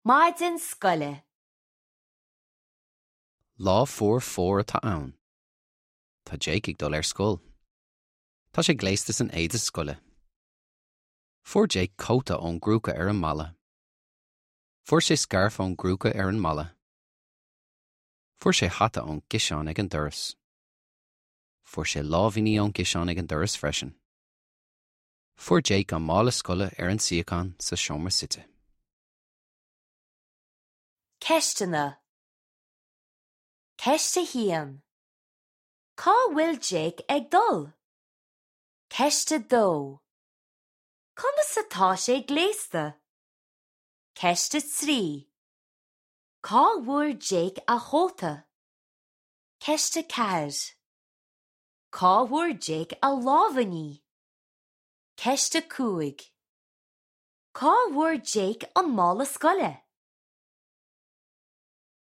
Maidin scoile. Lá fuar fómhair atá ann. Tá Jake ag dul ar scoil. Tá sé gléasta san éide scoile. Fuair Jake cóta ón gcrúca ar an mballa. Fuair sé scairf ón gcrúca ar an mballa. Fuair sé hata ón gciseán ag an doras. Fuair sé lámhainní ón gciseán ag an doras freisin. Fuair Jake an mála scoile ar an suíochán sa seomra suite. Ceisteanna Ceist 1. Cá bhfuil Jake ag dul? Ceist 2. Conas atá sé gléasta? Ceist 3. Cá bhfuair Jake a chóta? Ceist 4. Cá bhfuair Jake a lámhainní? Ceist 5. Cá bhfuair Jake an mála scoile?